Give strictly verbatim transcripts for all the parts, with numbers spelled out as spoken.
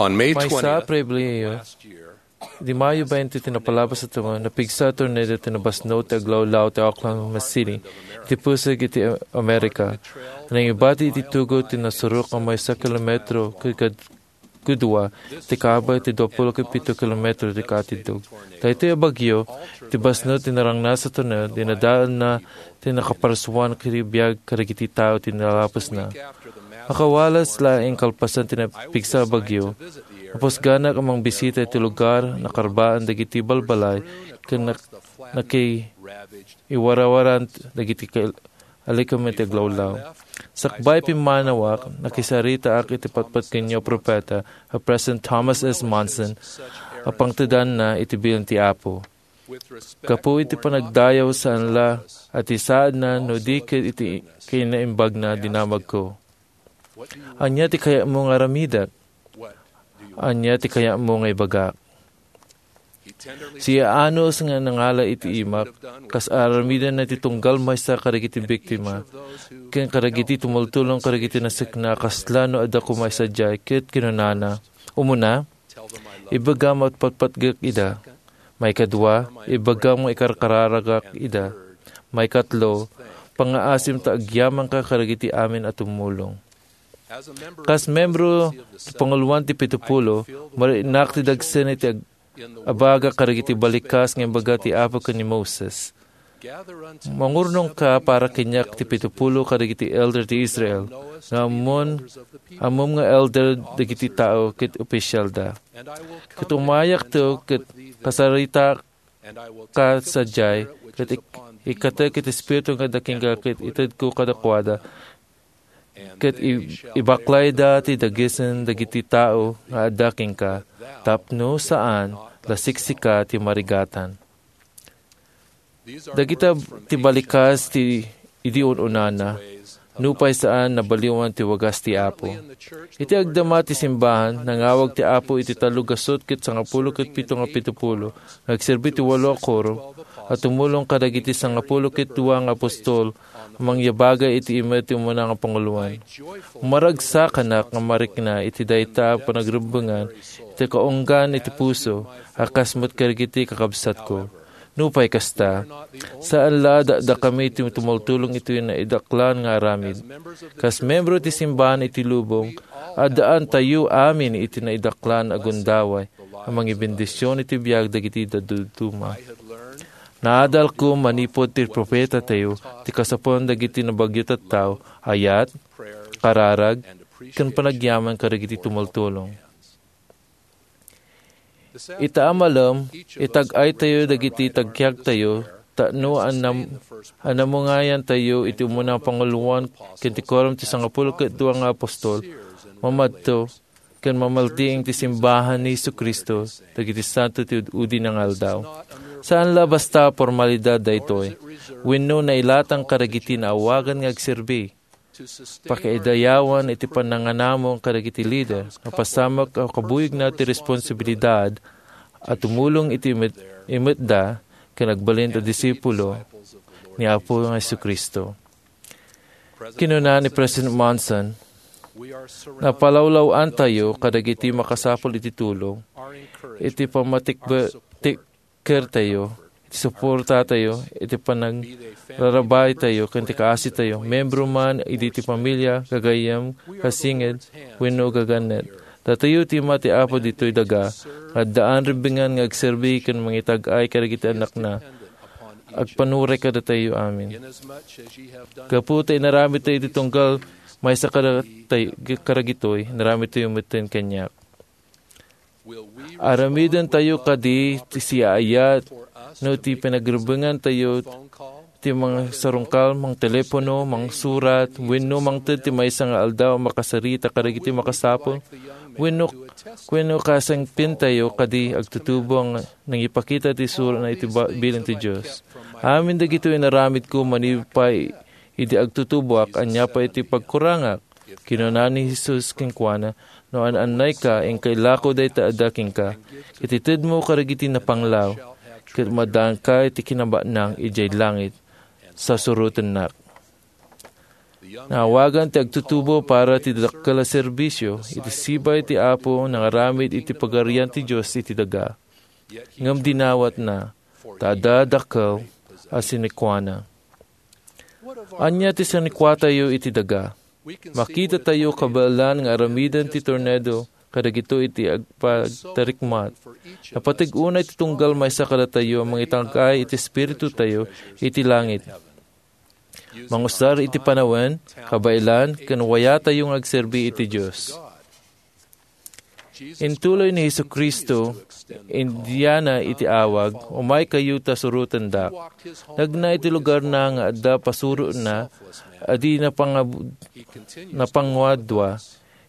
On May Maysa a twentieth, Pebrero, last year, di Mayo twenty ti napalabas a tumo, napigsa a tornado ti nabasno ti aglawlaw ti Oklahoma City, iti pusig iti Amerika. Nangibati iti tugot ti nasurok a maysa kilometro ket kad-, kadua ti kaabag ti dua pulo ket pito kilometro ti kaatidog. Daytoy a bagyo, ti basno ti narangnas a tornado, dinadaelna ti nakaparsuan iti biag kadagiti tao ti nalapusna. Makawalas laeng kalpasan ti napigsa a bagyo, napusganak a mangbisita iti lugar, nakarbaan dagiti balbalay, ken nak-, nakiiwarawaran dagiti kal-, alikemen ti aglawlaw. Sakbay pimmanawak, nakisaritaak iti patpatgenyo a propeta, a President Thomas S. Monson, a pangtedanna iti bilin ti Apo. Gapu iti panagdayaw, saan la a ti saadna no di ket iti kinaimbagna dinamagko. Ania ti kayatmo nga aramidek? Ania ti kayatmo nga ibagak? Siyaanus nga nangala iti imak, kas aramidenna ti tunggal maysa kadagiti biktima, ken kadagiti tumultulong kadagiti nasekna, kasla no adda koma sadiay, ket kinunana, Umuna, ibagam a patpatgek ida. Maikadua, ibagam nga ikarkararagak ida. Maikatlo, pangngaasim ta agyamanka kadagiti amin a tumulong. Kas membro ti panguloan ti pito pulo, mariknak ti dagsen iti ag-, abaga kadagiti balikas nga imbaga ti Apo ken ni Moses. Mangurnongka para kaniak ti pito pulo kadagiti elder ti Israel, nga ammon, ammom nga elder dagiti tao ket opisialda. Ket umayakto ket kasarita ka sadiay, ket ik-, ikkatek iti Espiritu nga adda kenka ket itedko kadakuada, ket i-, ibaklayda ti dagesen dagiti tao nga adda kenka, tapno saan la siksika ti marigatan. Dagita ti balikas ti idi un-unana, nupay saan nabaliwan ti wagas ti Apo. Iti agdama ti simbahan, nangawag ti Apo iti tallo gasut ket sangapulo ket pito nga pito pulo, nga agserbi ti walo a korum, a tumulong kadagiti sangapulo ket dua nga apostol, a mangyabagay iti imed ti umuna nga panguloan. Maragsakanak nga marikna iti dayta a panagrebbengan iti kaunggan iti puso, a kas met kadagiti kakabsatko. Nupay kasta, saan la a dakdakami ti tumultulong iti naidaklan nga aramid. Kas membro ti simbahan iti lubong, addaantayo amin iti naidaklan a gundaway a mangibendision iti biag dagiti dadduma. Naadalko manipud ti propetatayo ti kasapulan dagiti nabagyo tattao, ayat, kararag, ken panagyaman kadagiti tumultulong. Ita a malem, itag-aytayo dagiti tagkiagtayo, tapno annam-, annamungayantayo iti umuna a panguloan ken ti korum ti sangapulo ket dua nga apostol, mamadto, ken mamaltiing ti simbahan ni Jesu-Cristo dagiti santo ti ud-udi nga aldaw. Saan la basta a formalidad daytoy, wenno nailatang kadagiti naawagan nga agserbi. Pakaidayawan iti pananganamong kadagiti lider, napasamak a kabuyogna ti responsibilidad a tumulong iti imet-, imetda ken agbalin a disipulo ni Apo nga Jesu-Cristo. Kinuna ni President Monson, "Napalawlaw-antayo kadagiti makasapul iti tulong, iti pammatikbe-, tik-, kertayo, iti suportatayo, iti panangrarabaytayo, ken ti kaasitayo, membro man idi ti pamilia, gagayyem, kasinged, wenno gagannet. Datayo ti ima ti Apo ditoy daga, nga addaan rebbengan nga agserbi ken mangitag-ay kadagiti annakna. Agpanuray kadatayo amin. Gapu ta inaramidtayo ti tunggal maysa kadatayo, kadagitoy, inaramidtayo metten kaniak." Aramidentayo kadi ti siaayat no ti panagrebbengantayo ti mangsarungkal, mangtelepono, mangsurat, wenno mangted ti maysa nga aldaw a makasarita kadagiti makasapul, wenno, wenno kasangpentayo kadi agtutubo nga nangipakita ti suratna iti ba-, bilin ti Dios. Amin dagitoy inaramidko manipud pay idi agtutuboak, ania pay ti pagkurangak? Kinuna ni Jesus kenkuana, "No an-annayka, inka ilako dayta adda kenka, ket itedmo kadagiti napanglaw, ket maddaanka iti kinabatnang idiay langit, sasurotennak." Naawagan ti agtutubo para ti dakkel a serbisio iti sibay ti Apo nangaramid iti Pagarian ti Dios iti daga. Ngem dinawatna, ta adda dakkel a sinikuana. Ania ti sinikuatayo iti daga? Makitatayo kabaelan nga aramiden ti tornado kadagitoy iti agpagtarikmat. Napateg unay ti tunggal maysa kadatayo a mangitangkay iti espiritutayo iti langit. Mangusar iti panawen, kabaelan, ken wayatayo nga agserbi iti Dios. Intuloy ni Jesu-Cristo, Indiana iti awag, "Umaykayo ta surotendak." Nagna iti lugarna nga adda pasurotna a di napangab-, napanguadua.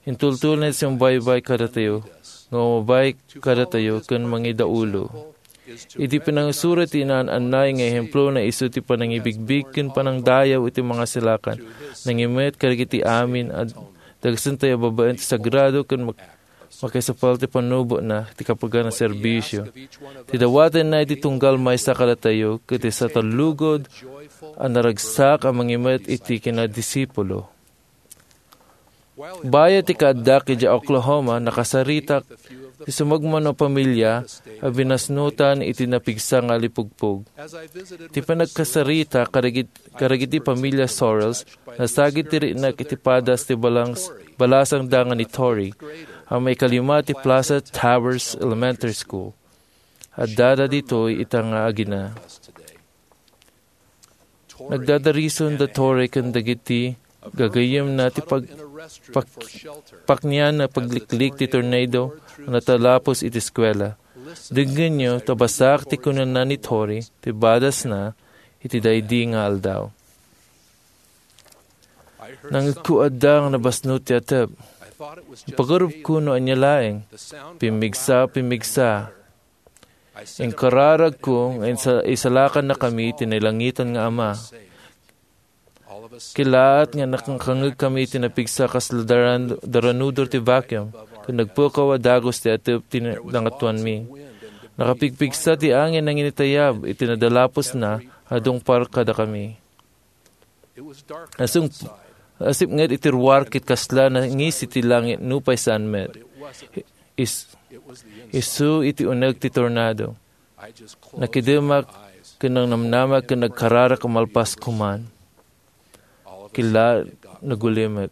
Intultulna ti sumbaybay kadatayo, nga umabay kadatayo ken mangidaulo. Idi pinangisurat ti inaan-annay nga ehemplona isu ti panangibigbig ken panangdayaw iti mga silakan, nangimet kadagiti amin a dagsentayo babaen ti sagrado ken mak-, makisapal ti panubotna ti kapagan a serbisio. Ti dawatenna iti tunggal maysa kadatayo ket ti satalugod a naragsak a mangimet iti kinadisipulo. Bayat ti kaaddak idiay Oklahoma, nakasaritak ti sumagmamano a pamilia a binasnutan iti napigsa nga alipugpog. Ti panagkasaritak kadagit-, kadagiti pamilia Sorrells, nasagid ti riknak iti padas ti balangs-, balasang danga ni Tori, a maikalima ti Plaza Towers Elementary School. Addada ditoy ita nga agina. Nagdadarison da Tori ken dagiti gagayyemna ti pag-, pak-, paknian a pagliklik ti tornado a natalapos iti eskuela. Dengngenyo ta bassit ti kunana ni Tori ti badasna iti daydi nga aldaw. Nangngegko adda nga nabasnot ti atep. Ipagarupko no ania laeng. Pimmigsa, pimmigsa. Inkararagko nga insa-, isalakannakami ti nailangitan nga Ama. Kilaat nga nakangngegkami ti napigsa kasla daran-, daranudor ti vacuum, ket nagpukaw a dagus ti atep ti na-, nangatuanmi. Nakapigpigsa ti angin a nanginitayab iti nadalaposna a dungpar kadakami. Asung-, asipnget iti ruar ket kasla nangis iti langit nupay saan met. Is-, isu iti uneg ti tornado. Nakidemak ken nangnamnamak ken nagkararak a malpas koman. Kila nagulimek.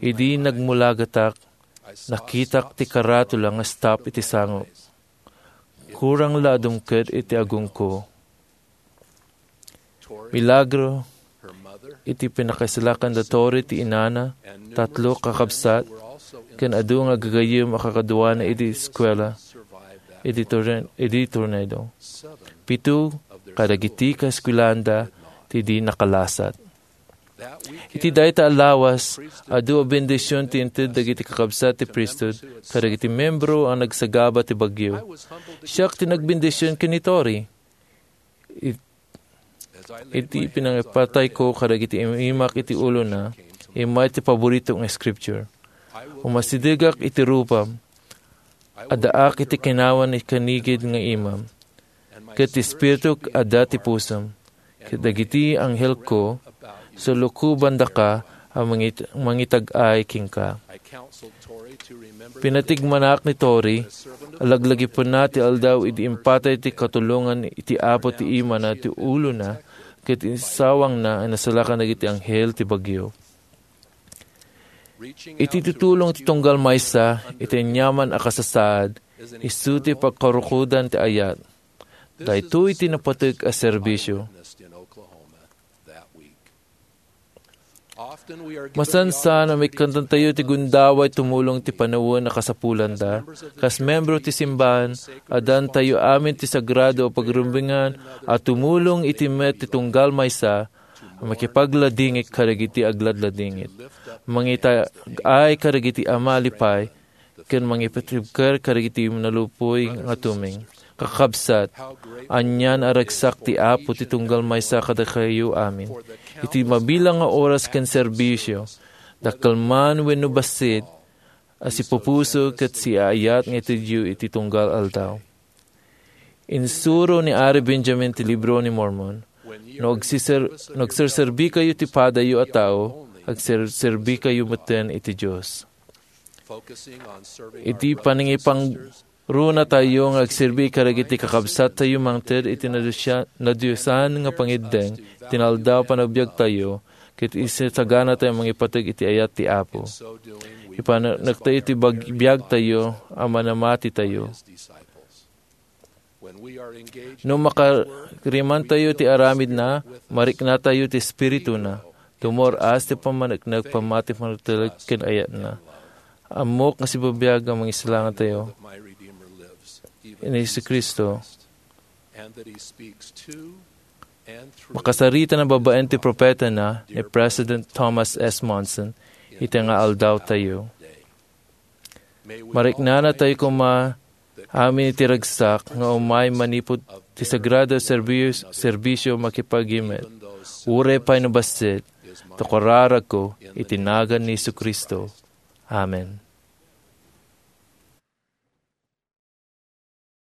Idi nagmulagatak, nakitak ti karatula nga stop iti sango. Kurang la a dumket iti agongko. Milagro iti pinakaisalakan da Tori ti inana, tatlo kakabsat, ken adu nga gagayyem a kakaduana iti eskuela, iti torren-, iti tornado. Pito kadagiti kaeskuelaanda ti di nakalasat. Iti dayta a lawas, adu a bendision ti inted dagiti kakabsat ti priesthood kadagiti membro a nagsagaba ti bagyo. Siak ti nagbendision ken ni Tori. It-, iti pinangipatayko kadagiti im-, imak iti ulona, immay ti paborito nga scripture. Umasidegak iti rupam, addaak iti kinawan iti kanigid nga imam. Ket ti Espirituk adda ti pusom. Ket dagiti anghelko, sulukobandaka a mangit-, mangitag-ay kenka. Pinatigmanak ni Tori, a laglagipenna ti aldaw idi impatay ti katulongan iti Apo ti imana ti ulona, ket insawangna a nasalakan dagiti anghel ti bagyo. Iti tutulong ti tunggal maysa iti aniaman a kasasaad, isu ti pagkarukodan ti ayat. Daytoy ti napateg a serbisio. Masansan a maikkantayo ti gundaway tumulong ti panawen a kasapulanda. Kas membro ti simbahan, addantayo amin ti sagrado a pagrumbengan a tumulong iti met ti tunggal maysa a makipagladingit kadagiti agladladingit. Mangitag-ay kadagiti a malipay ken mangipatibker kadagiti nalupay nga tumeng. Kakabsat, anian a ragsak ti Apo ti tunggal maysa kadakayo amin. Iti mabilang nga oras ken serbisio, dakkel man wenno bassit, a sipupuso ket siaayat nga itedyo iti tunggal aldaw. Insuro ni Ari Benjamin ti Libro ni Mormon, No agsiser-, no agserserbikayo ti padayo a tao, agserserbikayo metten iti Dios. Iti panangipangrunatayo nga agserbi kadagiti kakabsattayo mangted iti nadusya-, nadiosan nga pangiddeng iti naaldaw a panagbiagtayo, ket isasaganatayo a mangipateg iti ayat ti Apo. Ipaneknektayo ti bag-, biagtayo a manamatitayo. No makarimantayo ti aramidna, mariknatayo ti Espirituna. Dumor-as ti pammaneknek, pammati, pannakatalek ken ayatna. Ammok nga sibibiag a mangislangatayo ni Jesu-Cristo. Makasarita na babaen ti propetana ni President Thomas S. Monson iti nga aldaw tayo. Mariknana tayo koma amin iti ragsak nga umay manipud ti sagrado serbis-, serbisyo makipagimet. Uray pay no bassit, ta kararagko iti nagan ni Jesu-Cristo. Amen.